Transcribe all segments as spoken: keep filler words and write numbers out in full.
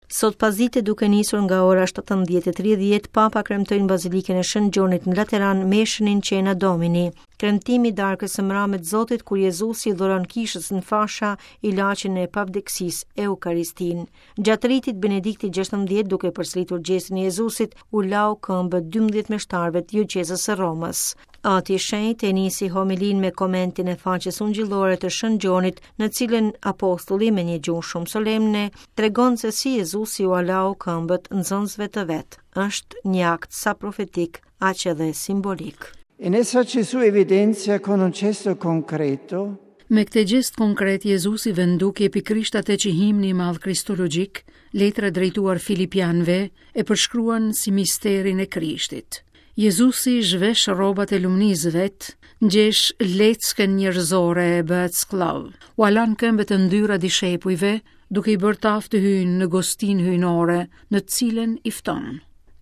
Sot pasdite, duke nisur nga ora shtatëmbëdhjetë e tridhjetë, Papa kremtoi në Bazilikën e Shën Gjonit në Lateran meshën In Cena Domini, kremtimi i darkës së mramit Zotit, kur Jezusi dhuron kishës në fasha ilaçin e pavdekësisë, Eukaristinë. Gjatë ritit, Benedikti gjashtëmbëdhjetë, duke përsëritur gjestin e Jezusit, u lau këmbët dymbëdhjetë meshtarëve të dioqezës së Romës. Ati i Shenjtë e nisi homilin me komentin e faqes ungjillore të Shën Gjonit, në cilën apostulli me një gjuhë shumë solemne tregon se si Jezusi u lau këmbët nxënësve të vet. Është një akt sa profetik, aq edhe simbolik. In essa Gesù evidenzia con un gesto concreto Me këtë gjest konkret, Jezusi vë në dukje pikërisht atë që himni i madh kristologjik, letra drejtuar Filipianëve, e përshkruan si misterin e Krishtit. Jezusi zhvesh rrobat e lumnisë vet, ngjesh leckën njerëzore e bëhet skllav. U lan këmbët e ndyra dishepujve, duke i bërë taftë të hyjnë në gostinë hyjnore, në të cilën i fton.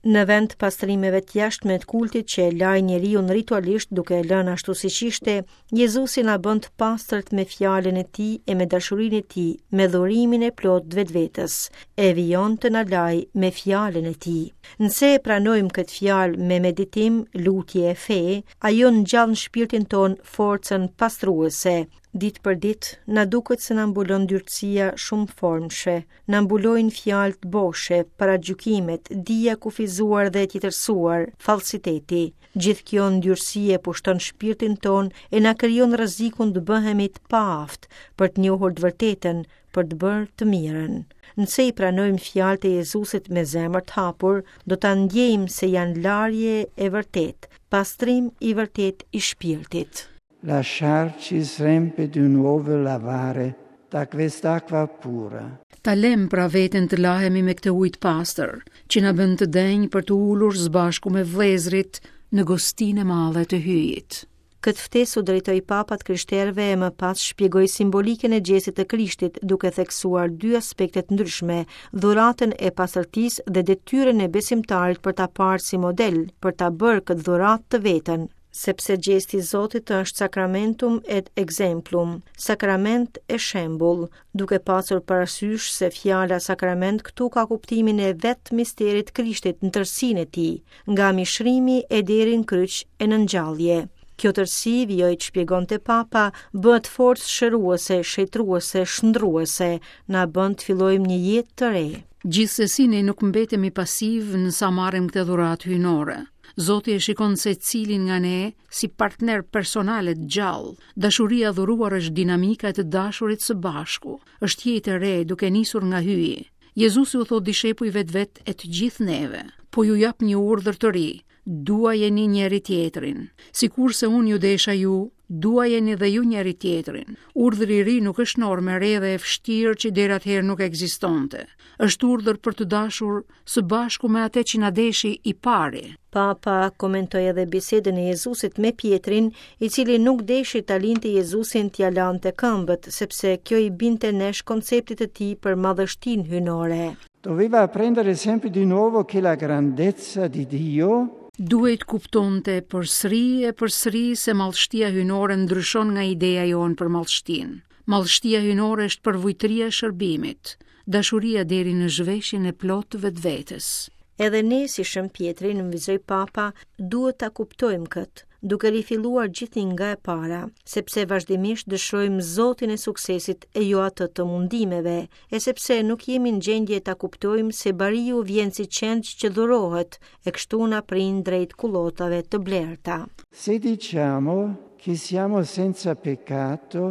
Në vend pastrimeve të jashtme të kultit që e laj njeriun ritualisht duke e lënë ashtu siç ishte, Jezusi na bën të pastërt me fjalën e tij e me dashurinë e tij, me dhurimin e plotë të vetvetes, e vijon të na laj me fjalën e tij. Nëse e pranojmë këtë fjalë me meditim, lutje e fe, ajo ngjall në shpirtin ton forcën pastruese. Ditë për ditë, na duket se na mbulon ndyrësia shumë formshe, na mbulojnë fjalët boshe, paragjykimet, dija kufizuar dhe e tjetërsuar, falsiteti. Gjithë kjo ndyrësi e pushton shpirtin ton e na krijon rrezikun të bëhemi të paaftë për të njohur të vërtetën, për të bërë të mirën. Nëse i pranojmë fjalët e Jezusit me zemër të hapur, do ta ndjejmë se janë larje e vërtetë, pastrim i vërtetë i shpirtit. Lasciarci sempre di nuovo lavare da quest'acqua pura. Ta lem pra veten të lahemi me këtë ujë të pastër, që na bën të denjë për të ulur së bashku me vëllezërit në gostinë e madhe të hyjit. Këtë ftesë u drejtoi papat krishterëve e më pas shpjegoi simbolikën e gjestit të Krishtit, duke theksuar dy aspekte të ndryshme, dhuratën e pastërtisë dhe detyrën e besimtarit për ta parë si model, për ta bërë këtë dhuratë të vetën, sepse gjesti i Zotit është sacramentum et exemplum, sakrament e shembull, duke pasur parasysh se fjala sakrament këtu ka kuptimin e vetë misterit Krishtit në tërësinë e tij, nga mishrimi e deri në kryq e në ngjallje. Kjo tërësi, vijoi të shpjegonte Papa, bëhet forcë shëruese, shetruese, shndruese, na bën të fillojmë një jetë të re. Gjithsesi ne nuk mbetemi pasiv nësa marrim këtë dhuratë hyjnore. Zoti e shikon secilin nga ne si partner personal e të gjallë. Dashuria e dhuruar është dinamika e të dashurit së bashku. Është jetë e re duke nisur nga hyji. Jezusi u thot dishepujve të vet e të gjithë neve, po ju jap një urdhër të ri, duajeni njëri tjetrin. Sikurse unë ju desha ju, duajeni dhe ju njëri tjetrin. Urdhri i ri nuk është normë e re dhe e vështirë që deri atëherë nuk ekzistonte. Është urdhër për të dashur së bashku me atë që na deshi i pari. Papa komentoi edhe bisedën e Jezusit me Pietrin, i cili nuk deshi ta linte Jezusin t'ia lante këmbët, sepse kjo i binte nesh konceptit të tij për madhështinë hyjnore. Doveva apprendere sempre di nuovo che la grandezza di Dio Duhej të kuptonte përsëri e përsëri se madhështia hyjnore ndryshon nga ideja jonë për madhështinë. Madhështia hyjnore është përvujtëria e shërbimit, dashuria deri në zhveshjen e plotë të vetvetes. Edhe ne si Shën Pjetri, nënvizoi Papa, duhet ta kuptojmë këtë, duke rifilluar gjithnjë nga e para, sepse vazhdimisht dëshirojmë Zotin e suksesit e jo atë të mundimeve, e sepse nuk jemi në gjendje ta kuptojmë se bariu vjen si qengj që dhurohet, e kështu na prin drejt kullotave të blerta. Se diciamo che siamo senza peccato,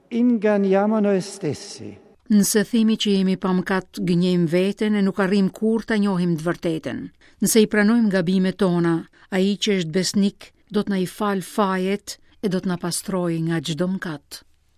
inganniamo noi stessi. Nëse themi që jemi pa mëkat, gënjejmë veten e nuk arrijmë kurrë ta njohim të vërtetën. Nëse i pranojmë gabimet tona, ai që është besnik do të na i fal fajet e do të na pastrojë nga çdo mëkat.